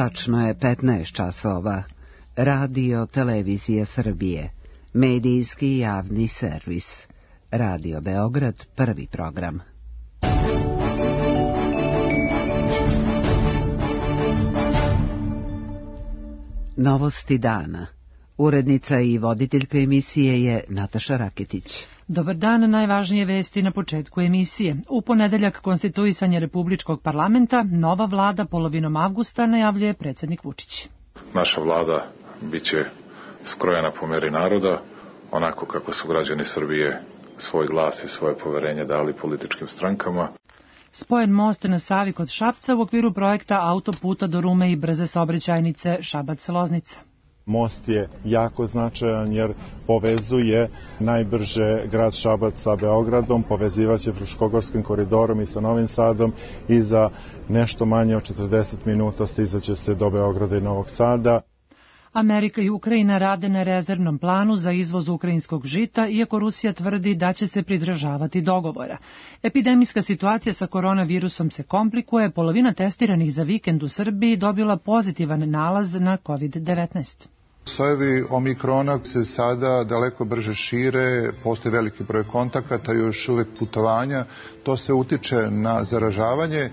Tačno je 15 časova. Radio Televizija Srbije. Medijski javni servis. Radio Beograd, prvi program. Novosti dana. Urednica i voditeljka emisije je Nataša Raketić. Dobar dan, najvažnije vesti na početku emisije. U ponedeljak konstituisanje Republičkog parlamenta, nova vlada polovinom avgusta, najavljuje predsjednik Vučić. Naša vlada biće skrojena po meri naroda, onako kako su građani Srbije svoj glas i svoje poverenje dali političkim strankama. Spojen most na Savi kod Šapca u okviru projekta autoputa do Rume i brze saobraćajnice Šabac-Loznica. Most je jako značajan jer povezuje najbrže grad Šabac sa Beogradom, povezivaće Fruškogorskim koridorom i sa Novim Sadom i za nešto manje od 40 minuta stizaće se do Beograda i Novog Sada. Amerika i Ukrajina rade na rezervnom planu za izvoz ukrajinskog žita, iako Rusija tvrdi da će se pridržavati dogovora. Epidemijska situacija sa koronavirusom se komplikuje, polovina testiranih za vikend u Srbiji dobila pozitivan nalaz na COVID-19. Sojevi omikrona se sada daleko brže šire, postoji veliki broj kontakata, još uvek putovanja, to se utiče na zaražavanje.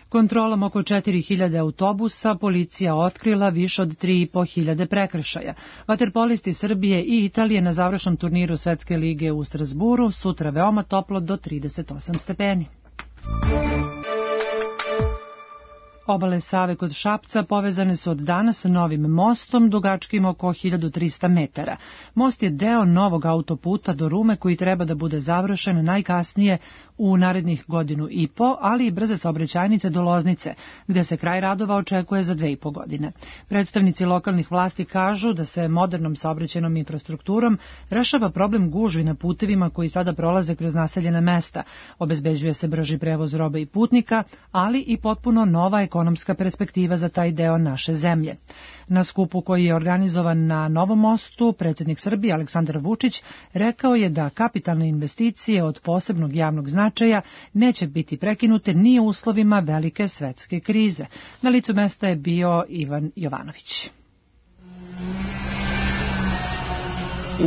Kontrolom oko 4000 autobusa policija otkrila više od 3500 prekršaja. Vaterpolisti Srbije i Italije na završnom turniru Svetske lige u Strasburu sutra veoma toplo do 38 stepeni. Obale Save kod Šapca povezane su od danas sa novim mostom dugačkim oko 1300 metara. Most je deo novog autoputa do Rume koji treba da bude završen najkasnije u narednih godinu i po, ali i brze saobraćajnice do Loznice, gde se kraj radova očekuje za 2,5 godine. Predstavnici lokalnih vlasti kažu da se modernom saobraćajnom infrastrukturom rešava problem gužvi na putevima koji sada prolaze kroz naseljena mesta. Obezbeđuje se brži prevoz robe i putnika, ali i potpuno nova ekonomska perspektiva za taj deo naše zemlje. Na skupu koji je organizovan na Novom mostu, predsjednik Srbije Aleksandar Vučić rekao je da kapitalne investicije od posebnog javnog značaja neće biti prekinute ni u uslovima velike svetske krize. Na licu mesta je bio Ivan Jovanović.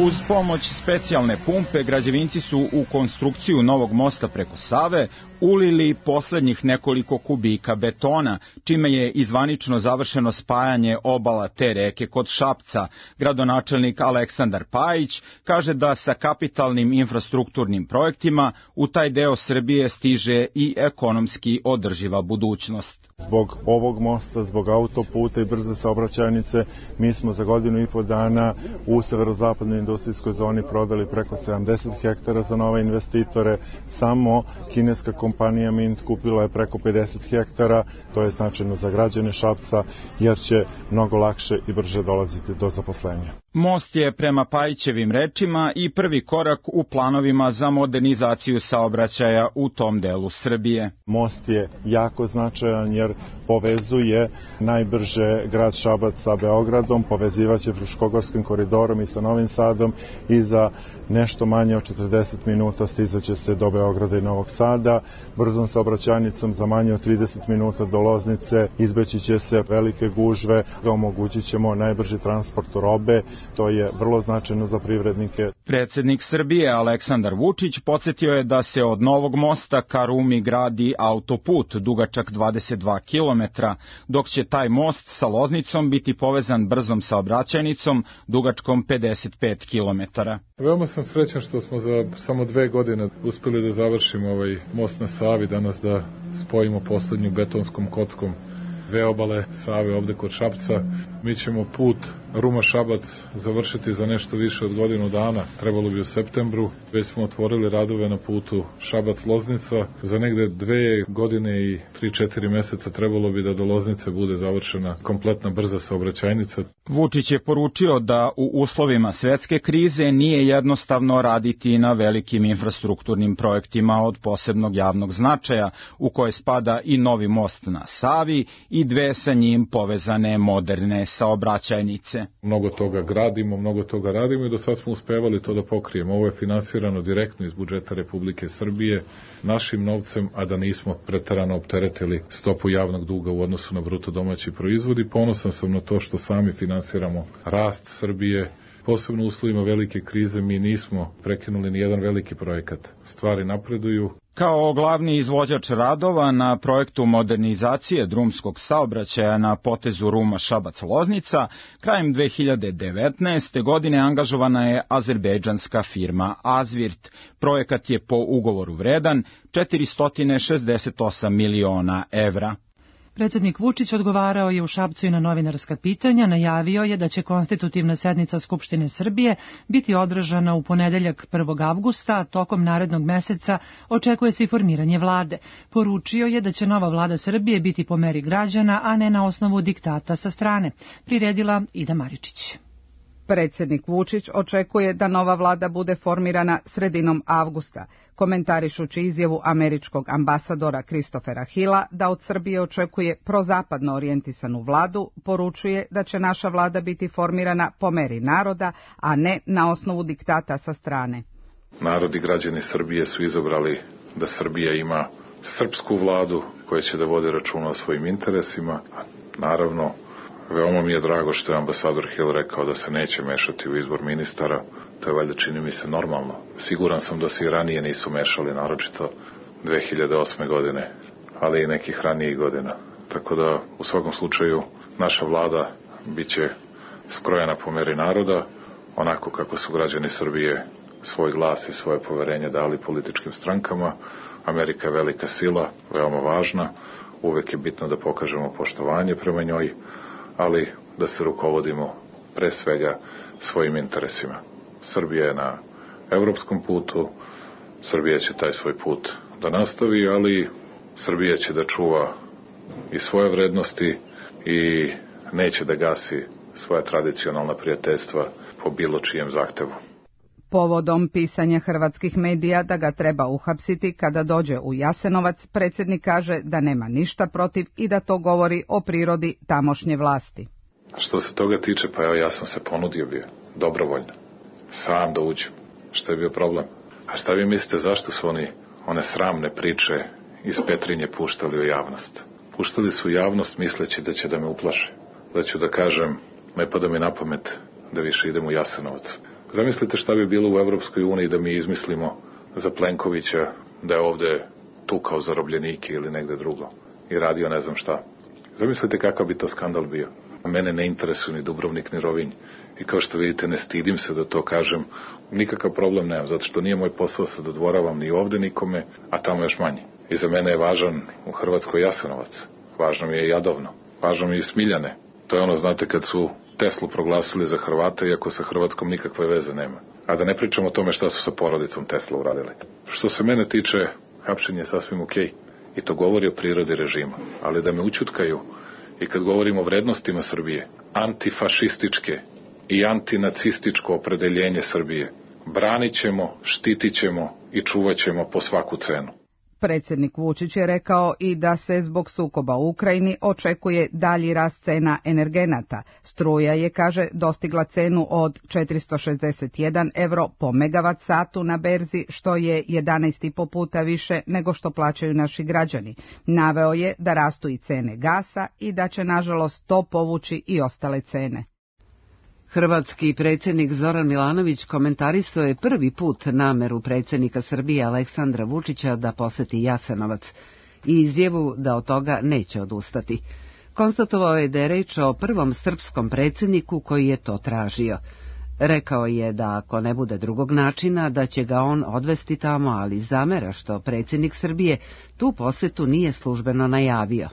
Uz pomoć specijalne pumpe, građevinci su u konstrukciju novog mosta preko Save ulili poslednjih nekoliko kubika betona, čime je izvanično završeno spajanje obala te reke kod Šapca. Gradonačelnik Aleksandar Pajić kaže da sa kapitalnim infrastrukturnim projektima u taj deo Srbije stiže i ekonomski održiva budućnost. Zbog ovog mosta, zbog autoputa i brze saobraćajnice, mi smo za godinu i po dana u severozapadnoj industrijskoj zoni prodali preko 70 hektara za nove investitore. Samo kineska kompanija Mint kupila je preko 50 hektara, to je značajno za građane Šapca, jer će mnogo lakše i brže dolaziti do zaposlenja. Most je prema Pajićevim rečima i prvi korak u planovima za modernizaciju saobraćaja u tom delu Srbije. Most je jako značajan jer povezuje najbrže grad Šabac sa Beogradom, povezivaće Fruškogorskim koridorom i sa Novim Sadom i za nešto manje od 40 minuta stizaće se do Beograda i Novog Sada. Brzom saobraćajnicom za manje od 30 minuta do Loznice izbeći će se velike gužve, omogućit ćemo najbrži transport robe. To je vrlo značajno za privrednike. Predsjednik Srbije Aleksandar Vučić podsjetio je da se od novog mosta ka Rumi gradi autoput dugačak 22 km, dok će taj most sa Loznicom biti povezan brzom saobraćajnicom dugačkom 55 km. Veoma sam srećan što smo za samo 2 godine uspeli da završimo ovaj most na Savi, danas da spojimo poslednju betonskom kockom dve obale Save ovde kod Šapca. Mi ćemo put Ruma-Šabac završiti za nešto više od godinu dana, trebalo bi u septembru. Već smo otvorili radove na putu Šabac-Loznica. Za negde 2 godine i 3-4 meseca trebalo bi da do Loznice bude završena kompletna brza saobraćajnica. Vučić je poručio da u uslovima svetske krize nije jednostavno raditi na velikim infrastrukturnim projektima od posebnog javnog značaja, u koje spada i novi most na Savi i 2 sa njim povezane moderne saobraćajnice. Mnogo toga gradimo, mnogo toga radimo i do sad smo uspevali to da pokrijemo. Ovo je finansirano direktno iz budžeta Republike Srbije našim novcem, a da nismo preterano opteretili stopu javnog duga u odnosu na bruto domaći proizvod i ponosan sam na to što sami finansiramo rast Srbije. Posebno u uslovima velike krize mi nismo prekinuli ni jedan veliki projekat. Stvari napreduju. Kao glavni izvođač radova na projektu modernizacije drumskog saobraćaja na potezu Ruma-Šabac-Loznica, krajem 2019. godine angažovana je azerbejdžanska firma Azvirt. Projekat je po ugovoru vredan 468 miliona evra. Predsjednik Vučić odgovarao je u Šapcu i na novinarska pitanja, najavio je da će konstitutivna sednica Skupštine Srbije biti održana u ponedeljak 1. avgusta, a tokom narednog meseca očekuje se i formiranje vlade. Poručio je da će nova vlada Srbije biti po meri građana, a ne na osnovu diktata sa strane. Priredila Ida Maričić. Predsjednik Vučić očekuje da nova vlada bude formirana sredinom avgusta, komentarišući izjavu američkog ambasadora Christophera Hilla da od Srbije očekuje prozapadno orijentisanu vladu, poručuje da će naša vlada biti formirana po meri naroda, a ne na osnovu diktata sa strane. Narod i građani Srbije su izabrali da Srbija ima srpsku vladu koja će da vodi računa o svojim interesima. Naravno, veoma mi je drago što je ambasador Hill rekao da se neće mešati u izbor ministara. To je valjda, čini mi se, normalno. Siguran sam da se i ranije nisu mešali, naročito 2008. godine, ali i nekih ranijih godina. Tako da, u svakom slučaju, naša vlada biće skrojena po meri naroda, onako kako su građani Srbije svoj glas i svoje poverenje dali političkim strankama. Amerika je velika sila, veoma važna, uvek je bitno da pokažemo poštovanje prema njoj, ali da se rukovodimo pre svega svojim interesima. Srbija je na evropskom putu, Srbija će taj svoj put da nastavi, ali Srbija će da čuva i svoje vrednosti i neće da gasi svoja tradicionalna prijateljstva po bilo čijem zahtevu. Povodom pisanja hrvatskih medija da ga treba uhapsiti kada dođe u Jasenovac, predsjednik kaže da nema ništa protiv i da to govori o prirodi tamošnje vlasti. Što se toga tiče, pa evo ja sam se ponudio bio, dobrovoljno, sam da uđem. Šta je bio problem? A šta vi mislite zašto su one sramne priče iz Petrinje puštali u javnost? Puštali su u javnost misleći da će da me uplaše, da ću da kažem, ne pada mi na pamet da više idem u Jasenovac. Zamislite šta bi bilo u Evropskoj uniji da mi izmislimo za Plenkovića da je ovde tukao zarobljenike ili negde drugo i radio ne znam šta. Zamislite kakav bi to skandal bio. A mene ne interesuje ni Dubrovnik ni Rovinj i kao što vidite ne stidim se da to kažem, nikakav problem nemam, zato što nije moj posao se dodvoravam ni ovde nikome, a tamo još manje. I za mene je važan u Hrvatskoj Jasenovac, važno mi je Jadovno, važno mi je i Smiljane. To je ono, znate, kad su Teslu proglasili za Hrvata, iako sa Hrvatskom nikakve veze nema. A da ne pričamo o tome šta su sa porodicom Tesla uradili. Što se mene tiče, hapšenje je sasvim okej. I to govori o prirodi režima. Ali da me ućutkaju i kad govorimo o vrednostima Srbije, antifašističke i antinacističko opredeljenje Srbije, branit ćemo, štitit ćemo i čuvat ćemo po svaku cenu. Predsjednik Vučić je rekao i da se zbog sukoba u Ukrajini očekuje dalji rast cena energenata. Struja je, kaže, dostigla cenu od 461 euro po megavat satu na berzi, što je 11,5 puta više nego što plaćaju naši građani. Naveo je da rastu i cene gasa i da će, nažalost, to povući i ostale cene. Hrvatski predsjednik Zoran Milanović komentarisao je prvi put nameru predsjednika Srbije Aleksandra Vučića da poseti Jasenovac i izjavu da od toga neće odustati. Konstatovao je da je reč o prvom srpskom predsjedniku koji je to tražio. Rekao je da ako ne bude drugog načina da će ga on odvesti tamo, ali zamera što predsjednik Srbije tu posetu nije službeno najavio.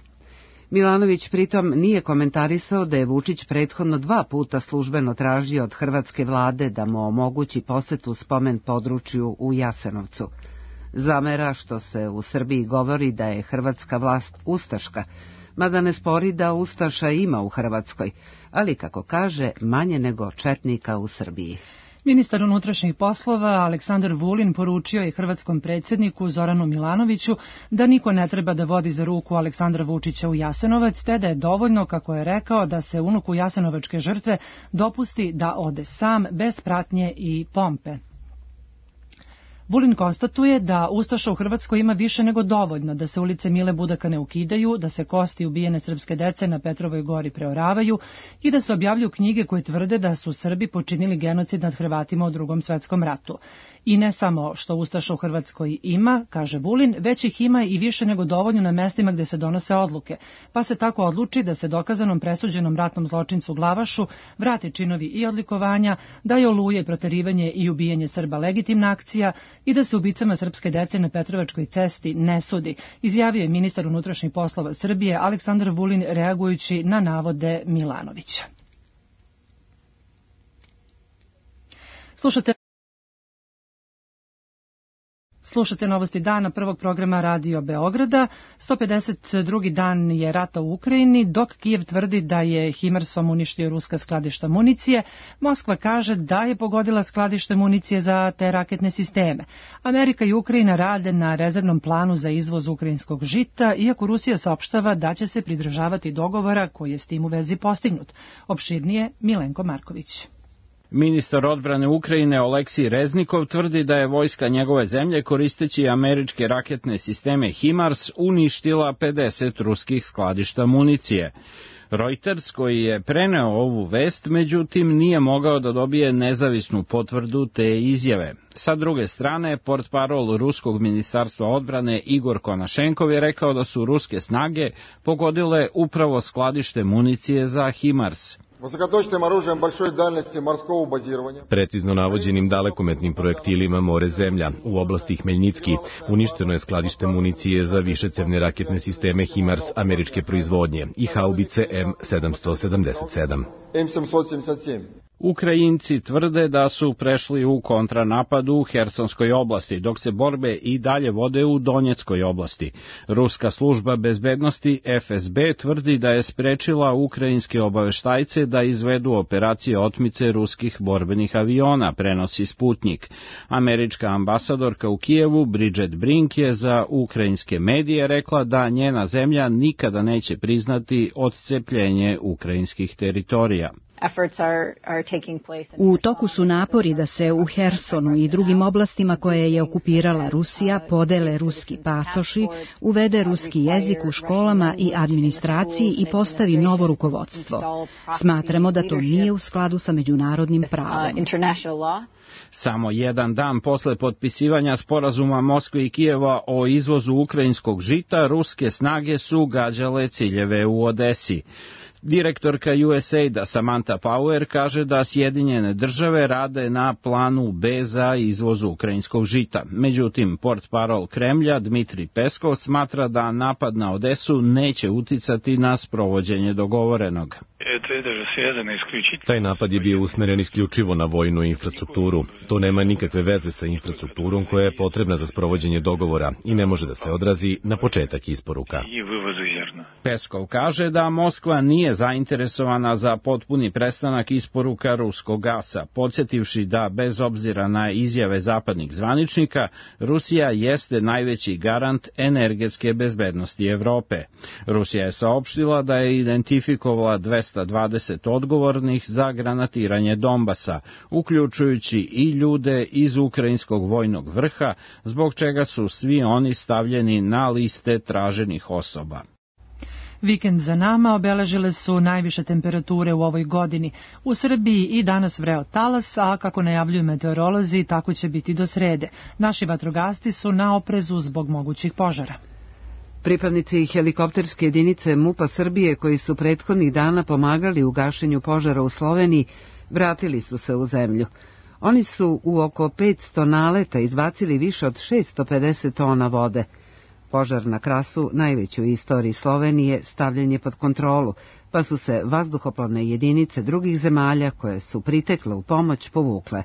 Milanović pritom nije komentarisao da je Vučić prethodno 2 puta službeno tražio od hrvatske vlade da mu omogući posetu spomen području u Jasenovcu. Zamera što se u Srbiji govori da je hrvatska vlast ustaška, mada ne spori da ustaša ima u Hrvatskoj, ali kako kaže, manje nego četnika u Srbiji. Ministar unutrašnjih poslova Aleksandar Vulin poručio je hrvatskom predsjedniku Zoranu Milanoviću da niko ne treba da vodi za ruku Aleksandra Vučića u Jasenovac, te da je dovoljno, kako je rekao, da se unuku jasenovačke žrtve dopusti da ode sam, bez pratnje i pompe. Vulin konstatuje da ustaša u Hrvatskoj ima više nego dovoljno, da se ulice Mile Budaka ne ukidaju, da se kosti ubijene srpske dece na Petrovoj gori preoravaju i da se objavljuju knjige koje tvrde da su Srbi počinili genocid nad Hrvatima u Drugom svetskom ratu. I ne samo što ustaša u Hrvatskoj ima, kaže Vulin, već ih ima i više nego dovoljno na mestima gde se donose odluke, pa se tako odluči da se dokazanom presuđenom ratnom zločincu Glavašu vrate činovi i odlikovanja, da je oluje, proterivanje i ubijanje Srba legitimna akcija i da se ubicama srpske dece na Petrovačkoj cesti ne sudi, izjavio je ministar unutrašnjih poslova Srbije Aleksandar Vulin reagujući na navode Milanovića. Slušate novosti dana prvog programa Radio Beograda. 152. dan je rata u Ukrajini, dok Kijev tvrdi da je Himarsom uništio ruska skladišta municije. Moskva kaže da je pogodila skladište municije za te raketne sisteme. Amerika i Ukrajina rade na rezervnom planu za izvoz ukrajinskog žita, iako Rusija saopštava da će se pridržavati dogovora koji je s tim u vezi postignut. Opširnije Milenko Marković. Ministar odbrane Ukrajine Oleksij Reznikov tvrdi da je vojska njegove zemlje koristeći američke raketne sisteme HIMARS uništila 50 ruskih skladišta municije. Reuters, koji je preneo ovu vest, međutim nije mogao da dobije nezavisnu potvrdu te izjave. Sa druge strane, portparol ruskog ministarstva odbrane Igor Konašenkov je rekao da su ruske snage pogodile upravo skladište municije za HIMARS. Precizno navođenim dalekometnim projektilima more-zemlja u oblasti Hmeljnicki uništeno je skladište municije za višecevne raketne sisteme HIMARS američke proizvodnje i haubice M777. Ukrajinci tvrde da su prešli u kontranapad u Hersonskoj oblasti, dok se borbe i dalje vode u Donjeckoj oblasti. Ruska služba bezbednosti FSB tvrdi da je sprečila ukrajinske obaveštajce da izvedu operacije otmice ruskih borbenih aviona, prenosi Sputnik. Američka ambasadorka u Kijevu, Bridget Brink, je za ukrajinske medije rekla da njena zemlja nikada neće priznati odcepljenje ukrajinskih teritorija. U toku su napori da se u Hersonu i drugim oblastima koje je okupirala Rusija podele ruski pasoši, uvede ruski jezik u školama i administraciji i postavi novo rukovodstvo. Smatramo da to nije u skladu sa međunarodnim pravom. Samo jedan dan posle potpisivanja sporazuma Moskve i Kijeva o izvozu ukrajinskog žita, ruske snage su gađale ciljeve u Odesi. Direktorka USAID-a Samantha Power kaže da Sjedinjene države rade na planu B za izvoz ukrajinskog žita. Međutim, portparol Kremlja Dmitrij Peskov smatra da napad na Odesu neće uticati na sprovođenje dogovorenog. Taj napad je bio usmeren isključivo na vojnu infrastrukturu. To nema nikakve veze sa infrastrukturom koja je potrebna za sprovođenje dogovora i ne može da se odrazi na početak isporuka. Peskov kaže da Moskva nije zainteresovana za potpuni prestanak isporuka ruskog gasa, podsjetivši da bez obzira na izjave zapadnih zvaničnika, Rusija jeste najveći garant energetske bezbednosti Evrope. Rusija je saopštila da je identifikovala 220 odgovornih za granatiranje Donbasa, uključujući i ljude iz ukrajinskog vojnog vrha, zbog čega su svi oni stavljeni na liste traženih osoba. Vikend za nama obeležile su najviše temperature u ovoj godini. U Srbiji i danas vreo talas, a kako najavljuju meteorolozi, tako će biti do srede. Naši vatrogasci su na oprezu zbog mogućih požara. Pripadnici helikopterske jedinice MUP-a Srbije, koji su prethodnih dana pomagali u gašenju požara u Sloveniji, vratili su se u zemlju. Oni su u oko 500 naleta izbacili više od 650 tona vode. Požar na Krasu, najveći u istoriji Slovenije, stavljen je pod kontrolu, pa su se vazduhoplovne jedinice drugih zemalja koje su pritekle u pomoć povukle.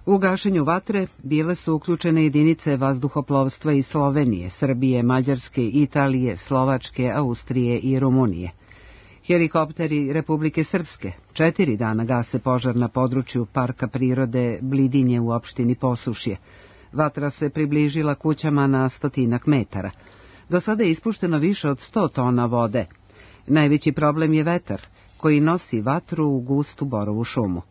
U gašenju vatre bile su uključene jedinice vazduhoplovstva iz Slovenije, Srbije, Mađarske, Italije, Slovačke, Austrije i Rumunije. Helikopteri Republike Srpske 4 dana gase požar na području Parka prirode Blidinje u opštini Posušje. Vatra se približila kućama na 100 metara. Do sada je ispušteno više od 100 tona vode. Najveći problem je vetar, koji nosi vatru u gustu borovu šumu.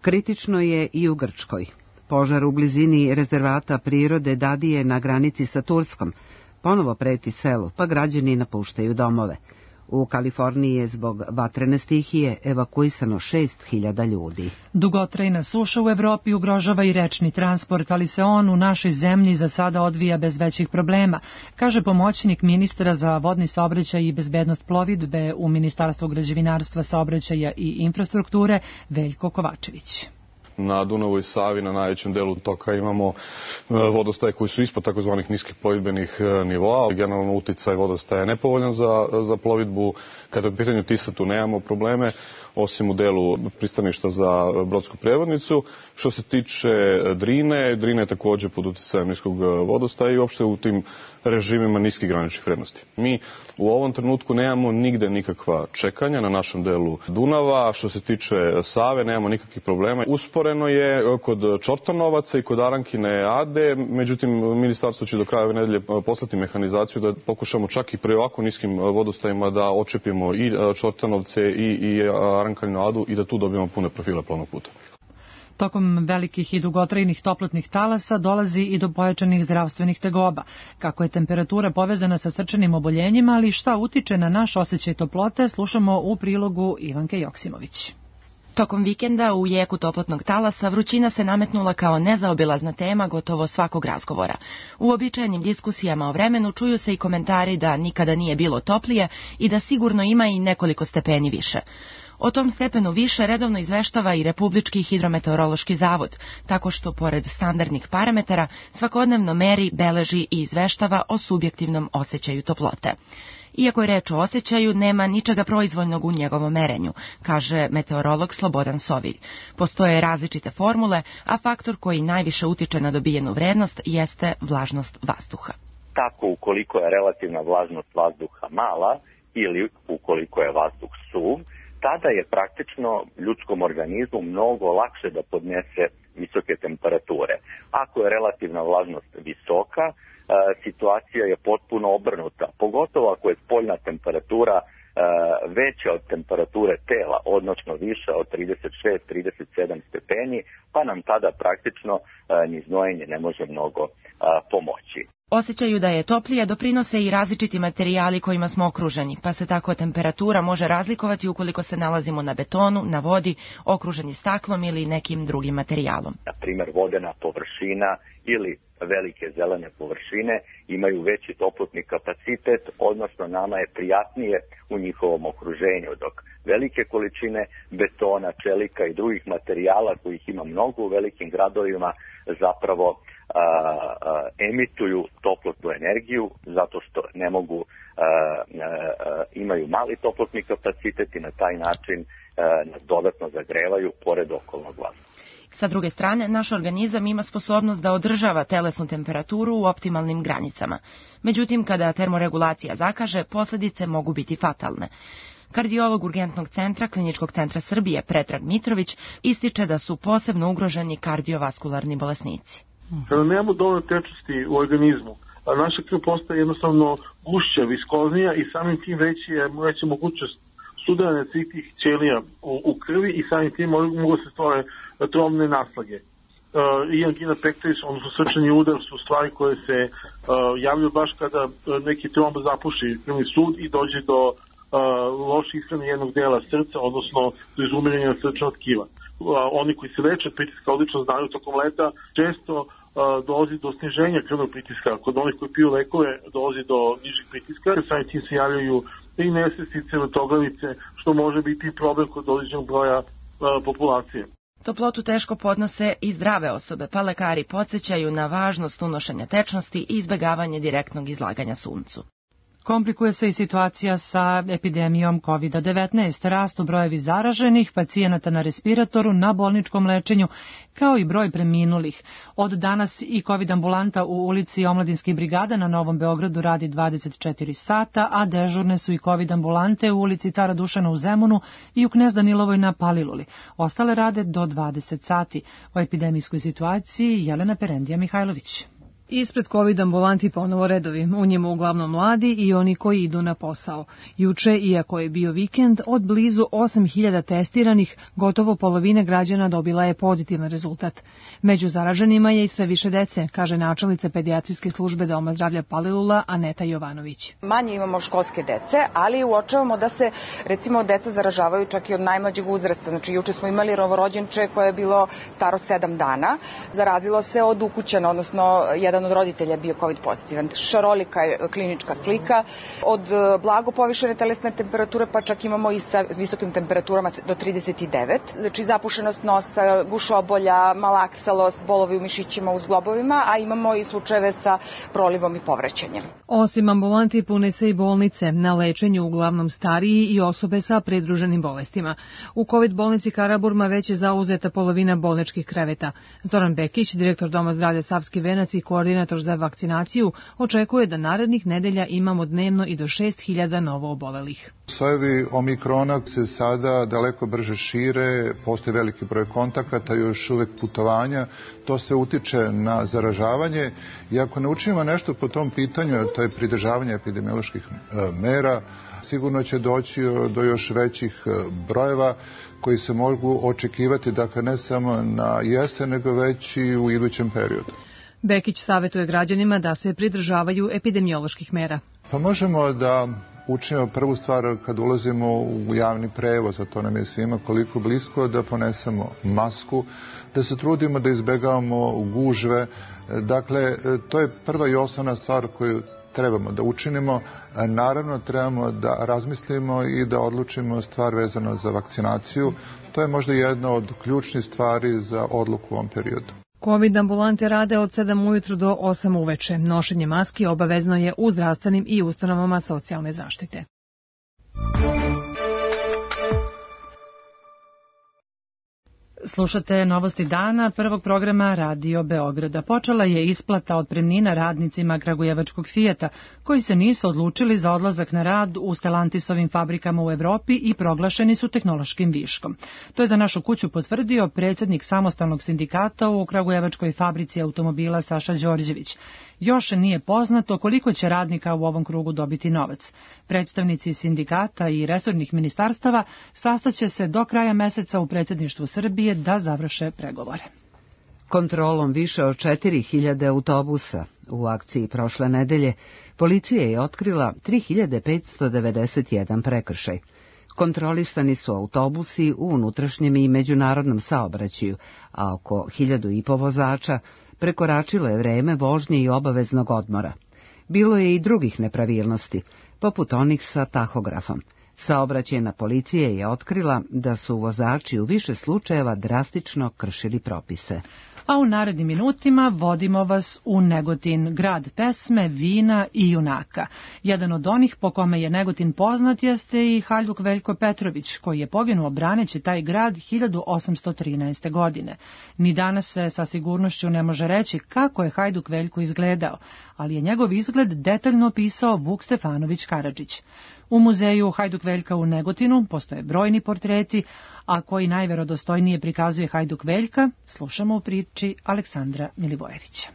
Kritično je i u Grčkoj. Požar u blizini rezervata prirode Dadije na granici sa Turskom ponovo preti selu, pa građani napuštaju domove. U Kaliforniji je zbog vatrene stihije evakuisano 6.000 ljudi. Dugotrajna suša u Evropi ugrožava i rečni transport, ali se on u našoj zemlji za sada odvija bez većih problema, kaže pomoćnik ministra za vodni saobraćaj i bezbednost plovidbe u Ministarstvu građevinarstva, saobraćaja i infrastrukture Veljko Kovačević. Na Dunavu i Savi na najvećem delu toka imamo vodostaje koji su ispod takozvanih niskih plovidbenih nivoa. Generalno uticaj vodostaja je nepovoljan za plovidbu. Kada je u pitanju Tisa tu nemamo probleme, osim u delu pristaništa za brodsku prevodnicu. Što se tiče Drine, Drina je također pod uticajem niskog vodostaja i uopšte u tim režimima niskih graničnih vrednosti. Mi u ovom trenutku nemamo nigde nikakva čekanja na našem delu Dunava. Što se tiče Save, nemamo nikakvih problema. Usporeno je kod Čortanovaca i kod Arankine Ade, međutim, ministarstvo će do kraja ove nedelje poslati mehanizaciju da pokušamo čak i pre ovako niskim vodostajima da očepimo i Čortanovce i Arankinu Adu i da tu dobijemo pune profile plovnog puta. Tokom velikih i dugotrajnih toplotnih talasa dolazi i do pojačanih zdravstvenih tegoba. Kako je temperatura povezana sa srčanim oboljenjima, ali šta utiče na naš osjećaj toplote, slušamo u prilogu Ivanke Joksimović. Tokom vikenda u jeku toplotnog talasa vrućina se nametnula kao nezaobilazna tema gotovo svakog razgovora. U običajenim diskusijama o vremenu čuju se i komentari da nikada nije bilo toplije i da sigurno ima i nekoliko stepeni više. O tom stepenu više redovno izveštava i Republički hidrometeorološki zavod, tako što, pored standardnih parametara, svakodnevno meri, beleži i izveštava o subjektivnom osjećaju toplote. Iako je reč o osjećaju, nema ničega proizvoljnog u njegovom merenju, kaže meteorolog Slobodan Sovilj. Postoje različite formule, a faktor koji najviše utiče na dobijenu vrednost jeste vlažnost vazduha. Tako, ukoliko je relativna vlažnost vazduha mala ili ukoliko je vazduh suv, tada je praktično ljudskom organizmu mnogo lakše da podnese visoke temperature. Ako je relativna vlažnost visoka, situacija je potpuno obrnuta, pogotovo ako je spoljna temperatura veća od temperature tela, odnosno viša od 36-37 stepeni, pa nam tada praktično ni znojenje ne može mnogo pomoći. Osjećaju da je toplije doprinose i različiti materijali kojima smo okruženi, pa se tako temperatura može razlikovati ukoliko se nalazimo na betonu, na vodi, okruženi staklom ili nekim drugim materijalom. Na primjer, vodena površina ili velike zelene površine imaju veći toplotni kapacitet, odnosno nama je prijatnije u njihovom okruženju, dok velike količine betona, čelika i drugih materijala kojih ima mnogo u velikim gradovima zapravo emituju toplotnu energiju zato što ne mogu, imaju mali toplotni kapacitet i na taj način nas dodatno zagrevaju pored okolnog vazduha. Sa druge strane, naš organizam ima sposobnost da održava telesnu temperaturu u optimalnim granicama. Međutim, kada termoregulacija zakaže, posljedice mogu biti fatalne. Kardiolog Urgentnog centra Kliničkog centra Srbije Predrag Mitrović ističe da su posebno ugroženi kardiovaskularni bolesnici. Kada nemamo dovoljno tečnosti u organizmu, naša krv postaje jednostavno gušća, viskoznija i samim tim veća mogućnost sudaranja svih tih ćelija u krvi i samim tim mogu se stvore trombne naslage. I angina pectoris, odnosno srčani udar, su stvari koje se javljaju baš kada neki tromb zapuši krvni sud i dođe do loše ishrane jednog dela srca, odnosno do izumiranja srčanog tkiva. Oni koji se leče od pritiska odlično znaju tokom leta, često dolazi do sniženja krvnog pritiska. Kod onih koji piju lekove dolazi do nižih pritiska, samim tim se javljaju i nesvestice, vrtoglavice, što može biti problem kod određenog broja populacije. Toplotu teško podnose i zdrave osobe, pa lekari podsjećaju na važnost unošenja tečnosti i izbjegavanje direktnog izlaganja suncu. Komplikuje se i situacija sa epidemijom COVID-19, rastu brojevi zaraženih, pacijenata na respiratoru, na bolničkom lečenju, kao i broj preminulih. Od danas i COVID ambulanta u ulici Omladinskih brigada na Novom Beogradu radi 24 sata, a dežurne su i COVID ambulante u ulici Cara Dušana u Zemunu i u Knez Danilovoj na Paliluli. Ostale rade do 20 sati. O epidemijskoj situaciji Jelena Perendija Mihajlović. Ispred COVID ambulanti ponovo redovi, u njima uglavnom mladi i oni koji idu na posao. Juče, iako je bio vikend, od blizu 8.000 testiranih, gotovo polovina građana dobila je pozitivan rezultat. Među zaraženima je i sve više dece, kaže načelnica pedijatrijske službe Doma zdravlja Palilula Aneta Jovanović. Manje imamo školske dece, ali uočavamo da se, recimo, deca zaražavaju čak i od najmlađeg uzrasta. Znači, juče smo imali novorođenče koje je bilo staro 7 dana. Zarazilo se od ukućana, odnosno jedan od roditelja je bio COVID pozitivan. Šarolika je klinička slika. Od blago povišene telesne temperature pa čak imamo i sa visokim temperaturama do 39. Znači zapušenost nosa, gušobolja, malaksalost, bolovi u mišićima, u zglobovima, a imamo i slučajeve sa prolivom i povraćanjem. Osim ambulanti pune se i bolnice, na lečenju uglavnom stariji i osobe sa pridruženim bolestima. U COVID bolnici Karaburma već je zauzeta polovina bolničkih kreveta. Zoran Bekić, direktor Doma zdravlja Savski Venac i koordinator za vakcinaciju, očekuje da narednih nedelja imamo dnevno i do 6.000 novo obolelih. Sojevi omikrona se sada daleko brže šire, postoji veliki broj kontakata, još uvek putovanja, to se utiče na zaražavanje i ako ne učinimo nešto po tom pitanju, to je pridržavanje epidemioloških mera, sigurno će doći do još većih brojeva koji se mogu očekivati, dakle ne samo na jesen, nego već i u idućem periodu. Bekić savjetuje građanima da se pridržavaju epidemioloških mera. Pa možemo da učinimo prvu stvar kad ulazimo u javni prevoz, a to nam je svima koliko blisko, da ponesemo masku, da se trudimo da izbegavamo gužve. Dakle, to je prva i osnovna stvar koju trebamo da učinimo. Naravno, trebamo da razmislimo i da odlučimo stvar vezano za vakcinaciju. To je možda jedna od ključnih stvari za odluku u ovom periodu. COVID ambulante rade od 7 ujutru do 8 uveče. Nošenje maski obavezno je u zdravstvenim i ustanovama socijalne zaštite. Slušate novosti dana prvog programa Radio Beograda. Počela je isplata otpremnina radnicima kragujevačkog Fijata, koji se nisu odlučili za odlazak na rad u Stellantisovim fabrikama u Evropi i proglašeni su tehnološkim viškom. To je za našu kuću potvrdio predsjednik samostalnog sindikata u kragujevačkoj fabrici automobila Saša Đorđević. Još nije poznato koliko će radnika u ovom krugu dobiti novac. Predstavnici sindikata i resornih ministarstava sastaće se do kraja meseca u predsjedništvu Srbije da završe pregovore. Kontrolom više od 4.000 autobusa u akciji prošle nedelje, policija je otkrila 3.591 prekršaj. Kontrolisani su autobusi u unutrašnjem i međunarodnom saobraćaju, a oko 1.500 vozača prekoračilo je vreme vožnje i obaveznog odmora. Bilo je i drugih nepravilnosti, poput onih sa tahografom. Saobraćajna policija je otkrila da su vozači u više slučajeva drastično kršili propise. A u narednim minutima vodimo vas u Negotin, grad pesme, vina i junaka. Jedan od onih po kome je Negotin poznat jeste i Hajduk Veljko Petrović, koji je poginuo braneći taj grad 1813. godine. Ni danas se sa sigurnošću ne može reći kako je Hajduk Veljko izgledao, ali je njegov izgled detaljno opisao Vuk Stefanović Karadžić. U muzeju Hajduk Veljka u Negotinu postoje brojni portreti, a koji najverodostojnije prikazuje Hajduk Veljka, slušamo u priči Aleksandra Milivojevića.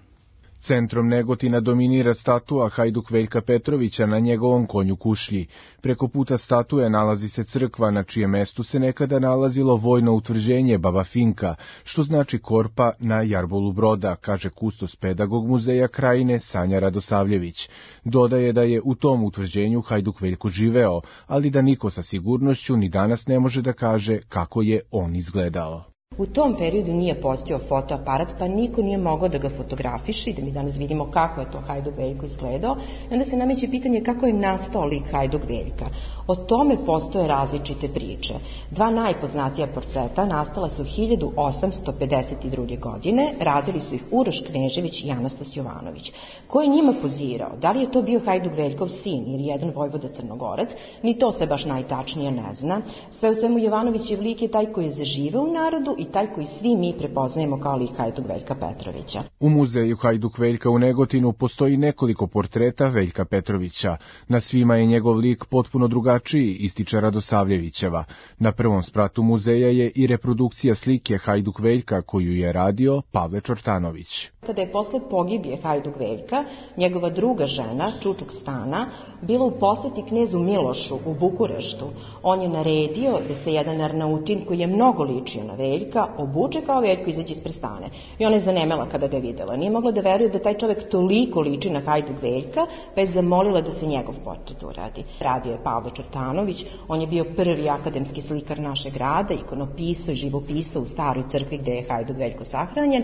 Centrom Negotina dominira statua Hajduk Veljka Petrovića na njegovom konju Kušlji. Preko puta statue nalazi se crkva na čijem mestu se nekada nalazilo vojno utvrđenje Baba Finka, što znači korpa na jarbolu broda, kaže kustos pedagog muzeja Krajine Sanja Radosavljević. Dodaje da je u tom utvrđenju Hajduk Veljko živeo, ali da niko sa sigurnošću ni danas ne može da kaže kako je on izgledao. U tom periodu nije postojao fotoaparat, pa niko nije mogao da ga fotografiše i da mi danas vidimo kako je to Hajduk Veljko izgledao. I onda se nameće pitanje kako je nastao lik Hajduk Veljka. O tome postoje različite priče. Dva najpoznatija portreta nastala su 1852. godine, radili su ih Uroš Knežević i Anastas Jovanović. Ko je njima pozirao? Da li je to bio Hajduk Veljkov sin ili jedan vojvoda Crnogorac? Ni to se baš najtačnije ne zna. Sve u svemu Jovanovićev lik je taj koji je zaživeo u narodu i taj koji svi mi prepoznajemo kao lik Hajduk Veljka Petrovića. U muzeju Hajduk Veljka u Negotinu postoji nekoliko portreta Veljka Petrovića. Na svima je njegov lik potpuno drugačiji, ističe Radosavljevićeva. Na prvom spratu muzeja je i reprodukcija slike Hajduk Veljka koju je radio Pavle Čortanović. Kada je posle pogibije Hajduk Veljka, njegova druga žena, Čučuk Stana, bila u poseti knezu Milošu u Bukureštu. On je naredio da se jedan Arnautin koji je mnogo ličio na Veljka obuče kao Veljko i izađe ispred stane. I ona je zanemela kada ga je videla. Nije mogla da veruje da taj čovek toliko liči na Hajduk Veljka, pa je zamolila da se njegov portret uradi. Radio je Pavle Čortanović, on je bio prvi akademski slikar našeg grada, ikonopisao i živopisao u staroj crkvi gde je Hajduk Veljko sahranjen.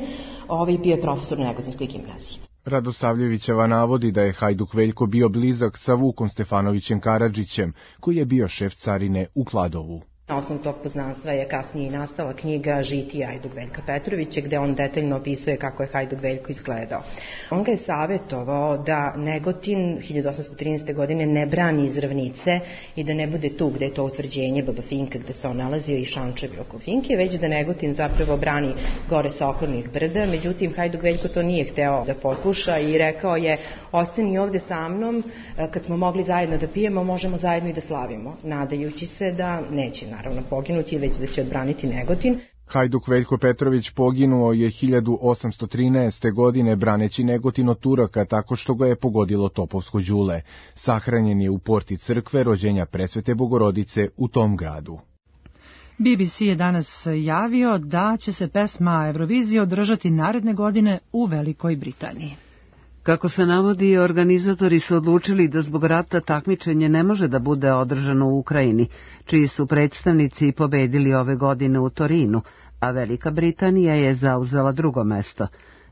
Bio je profesor u Negotinskoj gimnaziji. Radosavljevićeva navodi da je Hajduk Veljko bio blizak sa Vukom Stefanovićem Karadžićem, koji je bio šef carine u Kladovu. Na osnovu tog poznanstva je kasnije i nastala knjiga Žitije Hajduk Veljka Petrovića, gde on detaljno opisuje kako je Hajduk Veljko izgledao. On ga je savjetovao da Negotin 1813. godine ne brani iz ravnice i da ne bude tu gde je to utvrđenje Baba Finka gde se on nalazio i šančevi oko Finke, već da Negotin zapravo brani gore sa okolnih brda. Međutim, Hajduk Veljko to nije hteo da posluša i rekao je: ostani ovde sa mnom, kad smo mogli zajedno da pijemo, možemo zajedno i da slavimo, nadajući se da neće naravno poginuti, već da će odbraniti Negotin. Hajduk Veljko Petrović poginuo je 1813. godine braneći Negotin od Turaka tako što ga je pogodilo topovsko đule. Sahranjen je u porti crkve rođenja Presvete Bogorodice u tom gradu. BBC je danas javio da će se pesma Eurovizije održati naredne godine u Velikoj Britaniji. Kako se navodi, organizatori su odlučili da zbog rata takmičenje ne može da bude održano u Ukrajini, čiji su predstavnici pobedili ove godine u Torinu, a Velika Britanija je zauzela drugo mesto.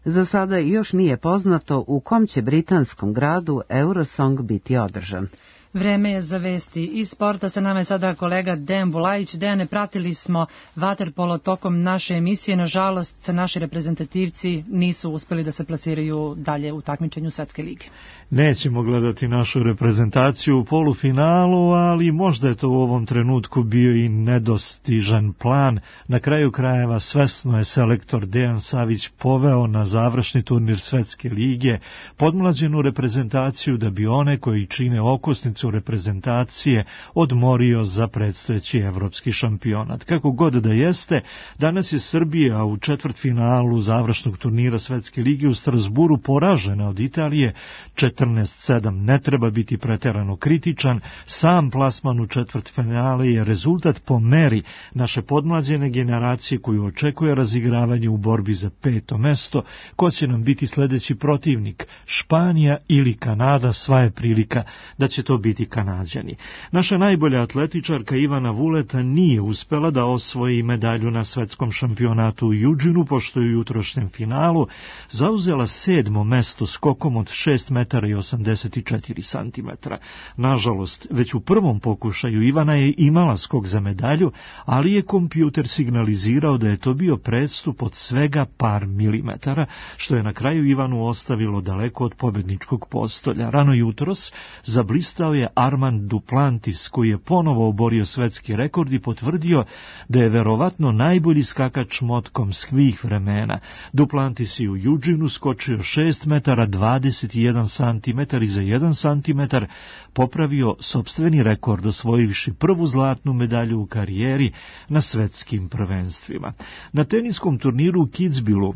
Za sada još nije poznato u kom će britanskom gradu Eurosong biti održan. Vreme je za vesti iz sporta. Sa nama je sada kolega Dejan Bulajić. Dejane, pratili smo vaterpolo tokom naše emisije. Nažalost, naši reprezentativci nisu uspeli da se plasiraju dalje u takmičenju Svetske lige. Nećemo gledati našu reprezentaciju u polufinalu, ali možda je to u ovom trenutku bio i nedostižan plan. Na kraju krajeva svesno je selektor Dejan Savić poveo na završni turnir Svetske lige podmlađenu reprezentaciju da bi one koji čine okosnicu reprezentacije odmorio za predstojeći evropski šampionat. Kako god da jeste, danas je Srbija u četvrtfinalu završnog turnira Svetske lige u Strasburu poražena od Italije 14-7. Ne treba biti preterano kritičan, sam plasman u četvrtfinale je rezultat po meri naše podmlađene generacije koju očekuje razigravanje u borbi za 5. mesto. Ko će nam biti sledeći protivnik? Španija ili Kanada? Sva je prilika da će to biti Kanađani. Naša najbolja atletičarka Ivana Vuleta nije uspela da osvoji medalju na svetskom šampionatu u Eugenu, pošto je u jutrošnjem finalu zauzela 7. mesto skokom od 6 metara i 84 santimetra. Nažalost, već u prvom pokušaju Ivana je imala skok za medalju, ali je kompjuter signalizirao da je to bio prestup od svega par milimetara, što je na kraju Ivanu ostavilo daleko od pobedničkog postolja. Rano jutros zablistao je Armand Duplantis, koji je ponovo oborio svetski rekord i potvrdio da je verovatno najbolji skakač motkom svih vremena. Duplantis je u Eugenu skočio 6 metara 21 santimetar i za 1 santimetar popravio sopstveni rekord, osvojivši prvu zlatnu medalju u karijeri na svetskim prvenstvima. Na teniskom turniru u Kitzbühelu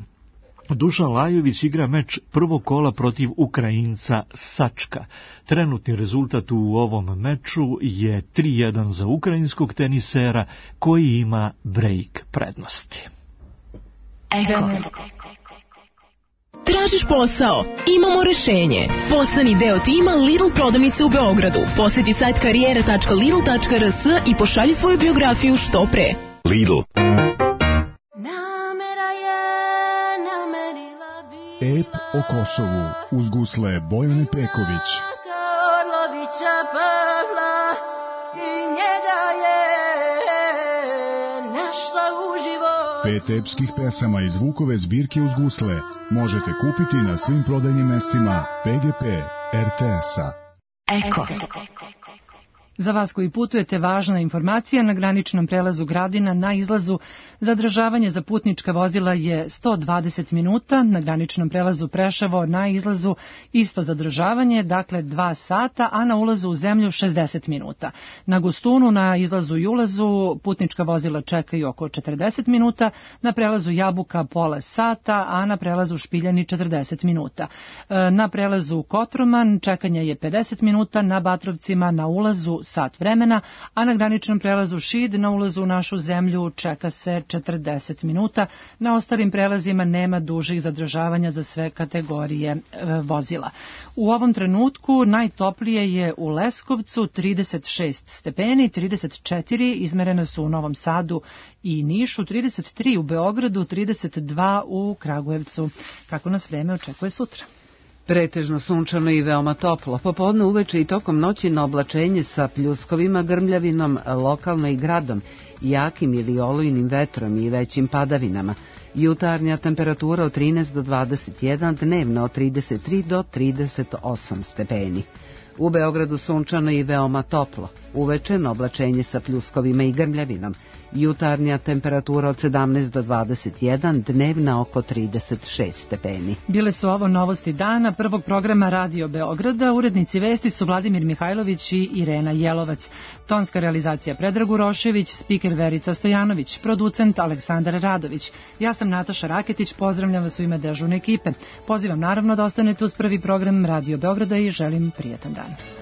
Dušan Lajović igra meč prvog kola protiv Ukrajinca Sačka. Trenutni rezultat u ovom meču je 3-1 za ukrajinskog tenisera koji ima break prednosti. Eko. Tražiš posao? Imamo rešenje. Postani deo tima Lidl prodavnice u Beogradu. Poseti sajt karijera.lidl.rs i pošalji svoju biografiju što pre. Lidl. o Kosovu uz gusle Bojane Peković. Karlovića Pavla i njega je našla uživo. 5 epskih pesama iz Vukove zbirke uz gusle možete kupiti na svim prodajnim mestima PGP RTS-a. Eko. Za vas koji putujete, važna informacija: na graničnom prelazu Gradina na izlazu zadržavanje za putnička vozila je 120 minuta, na graničnom prelazu Preševo na izlazu isto zadržavanje, dakle 2 sata, a na ulazu u zemlju 60 minuta. Na Gustunu na izlazu i ulazu putnička vozila čekaju oko 40 minuta, na prelazu Jabuka pola sata, a na prelazu Špiljani 40 minuta. Na prelazu Kotroman čekanje je 50 minuta, na Batrovcima na ulazu sat vremena, a na graničnom prelazu Šid na ulazu u našu zemlju čeka se 40 minuta. Na ostalim prelazima nema dužih zadržavanja za sve kategorije vozila. U ovom trenutku najtoplije je u Leskovcu 36 stepeni, 34 izmerene su u Novom Sadu i Nišu, 33 u Beogradu, 32 u Kragujevcu. Kako nas vreme očekuje sutra? Pretežno sunčano i veoma toplo. Popodne, uveče i tokom noći na oblačenje sa pljuskovima, grmljavinom, lokalno i gradom, jakim ili olujnim vetrom i većim padavinama. Jutarnja temperatura od 13 do 21, dnevna od 33 do 38 stepeni. U Beogradu sunčano i veoma toplo. Uveče na oblačenje sa pljuskovima i grmljavinom. Jutarnja temperatura od 17 do 21, dnevna oko 36 stepeni. Bile su ovo novosti dana prvog programa Radio Beograda. Urednici vesti su Vladimir Mihajlović i Irena Jelovac. Tonska realizacija Predrag Urošević, spiker Verica Stojanović, producent Aleksandar Radović. Ja sam Nataša Raketić, pozdravljam vas u ime dežurne ekipe. Pozivam naravno da ostanete uz prvi program Radio Beograda i želim prijatan dan.